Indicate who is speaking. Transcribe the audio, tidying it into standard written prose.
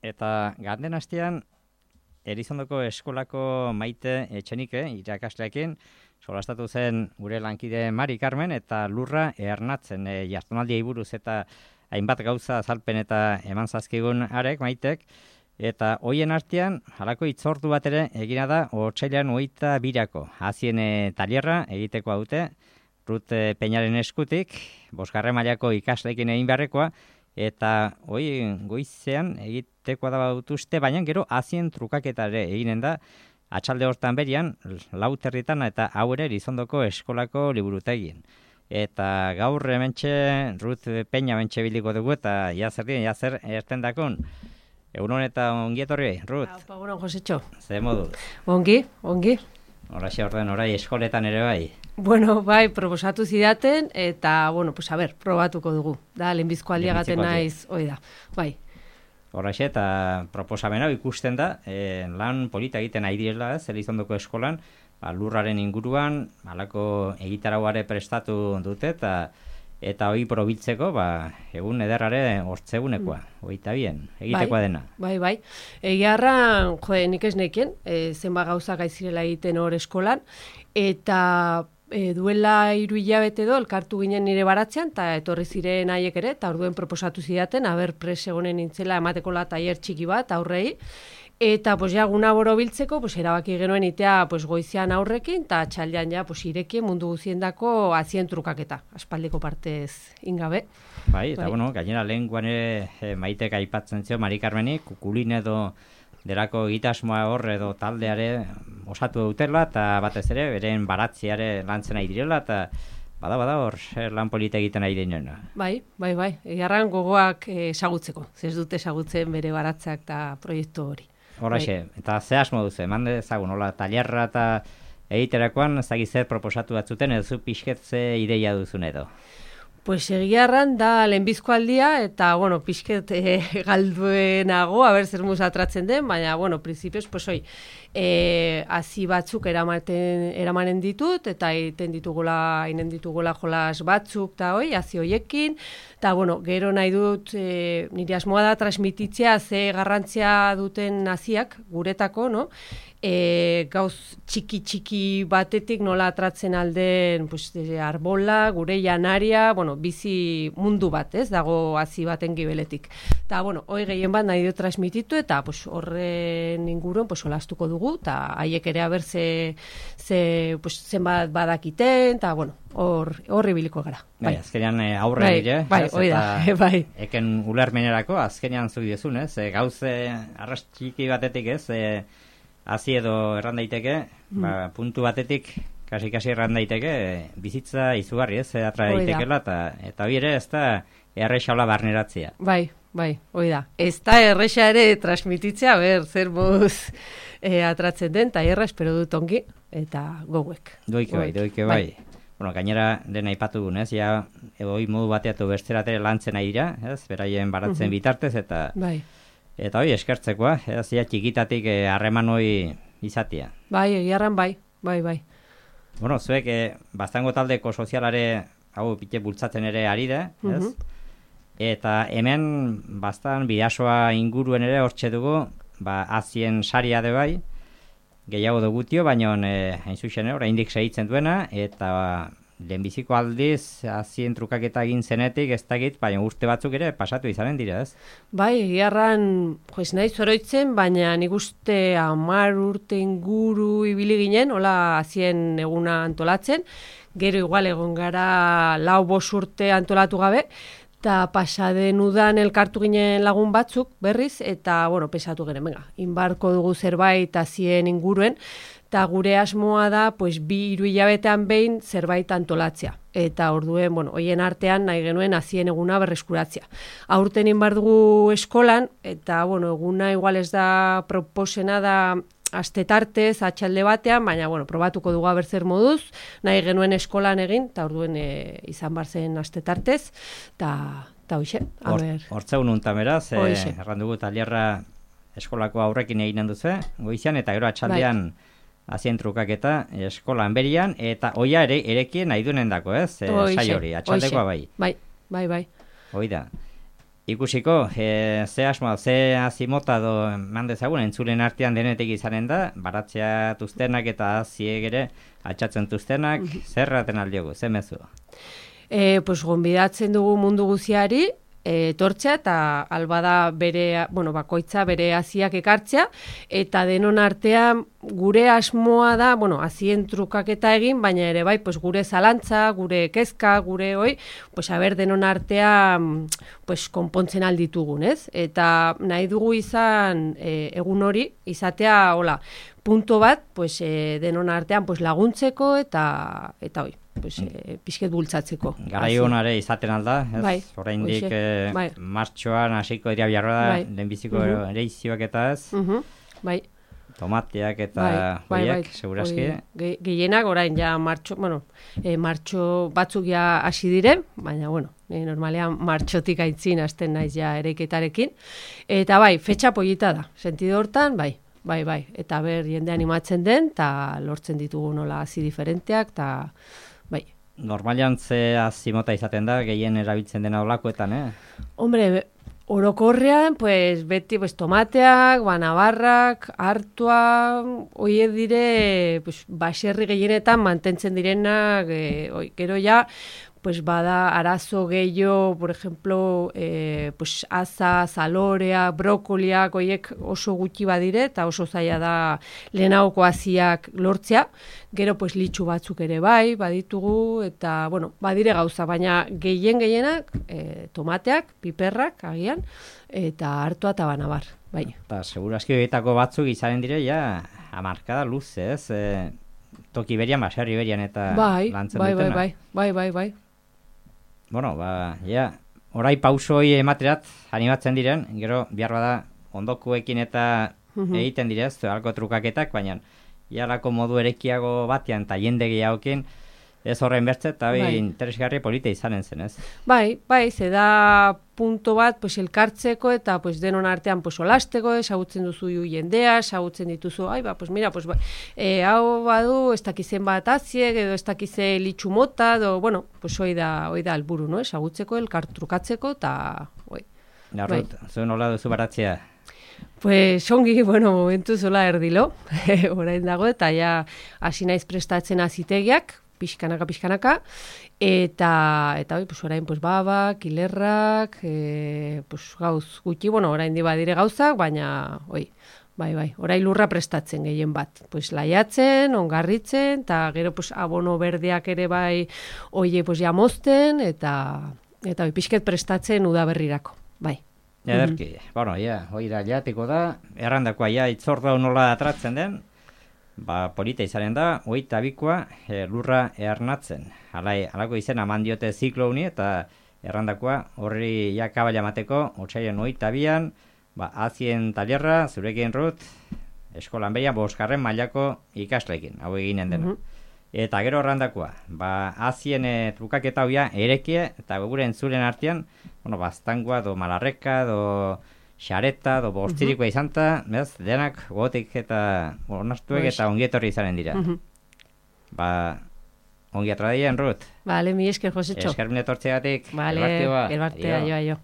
Speaker 1: eta ganden astean Erizondoko eskolako Maite Etxenike irakasleekin solastatu zen gure lankide Mari Carmen eta Lurra Ernatzen jardunaldiei buruz eta hainbat gauza azalpen eta eman zazkigun arek Maitek, eta hoien artean halako hitzordu bat ere egina da otsailean 22ko hazien tailerra egitekoa dute Rut Peñaren eskutik, 5. mailako ikasleekin egin beharrekoa, eta goizean egitekoa da batuzte, baina gero hazien trukaketa ere eginen da, atxalde hortan berian, 4:00 eta hau ere Erizondoko eskolako liburutegien. Eta gaur hementxe Rut Peña hementxe biliko dugu eta jazer erten dakon. Egunon eta ongi etorri, Rut.
Speaker 2: Egunon, Josetxo.
Speaker 1: Ze modu?
Speaker 2: Ongi.
Speaker 1: Horaxe orden, orai eskoletan ere bai.
Speaker 2: Bueno, bai, proposatu zidaten, eta, probatuko dugu. Da, lehenbizko aldiagaten naiz, hoi da, bai.
Speaker 1: Horaxe, eta proposamen hau ikusten da, lan polita egiten ari direla, Erizondoko eskolan, Lurraren inguruan, halako egitarauare prestatu dute, eta hoi probiltzeko, egun ederrare hortzegunekoa, 22, egitekoa dena.
Speaker 2: Bai. Egiarran, nik ez nekien, zenba gauzak aizirela egiten hor eskolan, eta duela 3 hilabete edo elkartu ginen nire baratzean, eta etorri ziren haiek ere, eta orduen proposatu zidaten, pres egonen nintzela emateko tailer txiki bat aurrei, eta guna borobiltzeko erabaki genuen itea goizean aurrekin, eta txaldean irekien mundu guziendako hazien trukaketa, aspaldiko partez ingabe.
Speaker 1: Bai, eta gainera lehenguan Maitek aipatzen zio Mari Carmenik, kukulin edo derako egitasmoa hor edo taldeare osatu dutela, eta batez ere, beren baratziare lantzen nahi direla, eta bada hor lan polita egiten nahi dinena. Bai.
Speaker 2: Egarran gogoak esagutzeko, ez dute esagutzen bere baratzak eta proiektu hori.
Speaker 1: Horaxe, eta ze asmo duzu, eman dezagun, tailerra eta egiterakoan, zer proposatu batzuten, edo pixketze ideia duzun edo?
Speaker 2: Egiarran da lehenbizko aldia, eta, pixket galduenago, zer muz atratzen den, baina, prinsipioz, hazi batzuk eramanen ditut, eta inen ditugula jolas batzuk, eta hazi hoiekin, eta, gero nahi dut, nire asmoa da transmititzea ze garrantzia duten haziak guretako, no? Gauz txiki batetik nola atratzen alden arbola, gure janaria, bizi mundu bat, ez, dago hazi baten gibeletik. Eta, hoi gehien bat nahi dut transmititu, eta horren inguruen solastuko dugu, eta haiek ere zenbat badakiten, eta, horri biliko gara.
Speaker 1: Bai, azkenean aurre dire,
Speaker 2: bai.
Speaker 1: Eken ulermenerako, azkenean zuk dizun, ez, gauze arras txiki batetik, ez, hazi edo erran daiteke, puntu batetik, kasi erran daiteke, bizitza izugarri, ez, atra daitekela, eta hori ere ez da errexaula barneratzea.
Speaker 2: Bai, hoi da. Ez da errexa ere transmititzea, zer moz atratzen den, eta espero dut ongi, eta gauek.
Speaker 1: Doike bai. Gainera dena aipatu dugun, ez, hoi modu bateatu besteratere lantzen nahi dira, ez, beraien baratzen bitartez, eta...
Speaker 2: Bai.
Speaker 1: Eta hoi eskertzekoa, txikitatik harreman hoi izatea.
Speaker 2: Bai, egiarran bai.
Speaker 1: Zuek, baztango taldeko sozialare hau pite bultzatzen ere ari da, ez? Eta hemen bastan bidasoa inguruen ere hortxe dugu, hazien saria de bai, gehiago dugutio, baina hain zuzen oraindik segitzen duena, eta lehenbiziko aldiz hazien trukaketa egin zenetik ez dakit, baina urte batzuk ere pasatu izanen dira, ez?
Speaker 2: Bai, egiarran, nahi zoroitzen, baina nik uste 10 urte inguru ibili ginen, hola hazien eguna antolatzen, gero igual egon gara 4-5 urte antolatu gabe, eta pasaden udan elkartu ginen lagun batzuk berriz, eta, pesatu geren, inbarko dugu zerbait hazien inguruen, eta gure asmoa da, 2-3 hilabetean behin zerbait antolatzea. Eta orduen, hoien artean nahi genuen hazien eguna berreskuratzea. Aurten inbar dugu eskolan, eta, eguna igual ez da proposena da astetartez, atxalde batean, baina, probatuko dugu zer moduz, nahi genuen eskolan egin, eta orduen izan barzen astetartez, eta hoxe,
Speaker 1: Hortzegun untan beraz, erran dugu tailerra eskolako aurrekin egin duzu, goizean, eta gero atxaldean hazien trukaketa eskolan berian, eta oia ere erekien nahi duenen dako, ez? Sai hori, atxaldekoa bai.
Speaker 2: Bai.
Speaker 1: Hoi da. Ikusiko, ze asmoa, ze azimota do mandezagun, entzulen artean denetik izanen da, baratzea tuztenak eta aziek ere atxatzen tuztenak, zerraten aldiogu, ze mezu?
Speaker 2: Pues gonbidatzen dugu mundu guziari, etortzea eta albada bere, bakoitza bere aziak ekartzea, eta denon artean gure asmoa da, azien trukaketa egin, baina ere bai, pues gure zalantza, gure kezka, gure pues haber denon artean pues konpontzen alditugun, ez? Eta nahi dugu izan egun hori, izatea, punto bat, pues denon artean pues laguntzeko eta hoi. Pues, pixket bultzatzeko.
Speaker 1: Garai honare izaten alda, ez?
Speaker 2: Bai,
Speaker 1: oraindik martxoan hasiko dira biharra da, lehenbiziko ereizioak eta ez?
Speaker 2: Bai.
Speaker 1: Tomateak eta horiek, segurazki?
Speaker 2: Gehienak orain ja martxo batzuk ja hasi dire, baina normalean martxotik aitzin hasten naiz ja ereiketarekin. Eta fetxa polita da, sentido hortan, bai, eta ber jende animatzen den, eta lortzen ditugu nola hazi diferenteak, eta bai.
Speaker 1: Normalian ze azimota izaten da, gehien erabiltzen dena olakoetan,
Speaker 2: Hombre, orokorrean, pues, beti tomateak, banabarrak, hartua, hoiek dire, pues, baserri gehienetan mantentzen direnak, gero ja, pues bada arazo gehiago, por ejemplo, pues aza, zalorea, brokoliak, hoiek oso gutxi badire, eta oso zaila da lehenagoko aziak lortzea. Gero, pues litxu batzuk ere bai, baditugu, eta, badire gauza, baina gehienak, tomateak, piperrak, agian, eta hartua eta banabar, bai.
Speaker 1: Eta, segurazki horietako batzuk izaren dire, ja, amarkada luz, ez? Toki berian, baserri berian, eta lantzen dutena.
Speaker 2: Bai.
Speaker 1: Orai pausoi ematerat animatzen diren, gero behar bada ondokuekin eta egiten direz, alko trukaketak, baina ialako modu erekiago batean eta jende gehiagokin ez horren bertze eta interesgarri polita izanen zen, ez? Bai,
Speaker 2: ze da punto bat pues, elkartzeko eta pues, denon artean pues, olasteko, esagutzen duzu jendea, esagutzen dituzu, pues mira, pues, hau badu, ez dakizen bat aziek, edo ez dakize litxu mota, pues hoi da alburu, no? Esagutzeko, elkartrukatzeko, eta hoi.
Speaker 1: Narrut, zuen hola duzu baratzea?
Speaker 2: Pues ongi, momentu zola erdilo, orain dago, eta ja hasi naiz prestatzen azitegiak, pixkanaka, eta pues orain pues babak, hilerrak, pues gauz gutxi, orain di badire gauzak, baina bai, orain lurra prestatzen gehien bat, pues laiatzen, ongarritzen, eta gero pues abono berdeak ere bai oie pues jamozten, eta pixket prestatzen udaberrirako, bai.
Speaker 1: Ederki, oira jateko da, errandakoa itzorda nola atratzen den, polita izaren da, 22koa lurra earnatzen. Halako izena eman diote ziklo honi eta errandakoa horri kabala mateko, otsaien 22an, azien talerra, zurekin Rut, eskolan behian 5. mailako ikasleekin, hau eginen dena. Eta gero errandakoa, azien trukaketa hoia erekie, eta gure entzulen artean, baztangoa, malarreka, xareta, bostirikoa izanta, denak gotik eta onartuek eta ongietorri izanen dira. Ongi atradien, Rut?
Speaker 2: Vale, mi esker, Josetxo.
Speaker 1: Esker mine tortzegatik.
Speaker 2: Vale, elbartea, jo.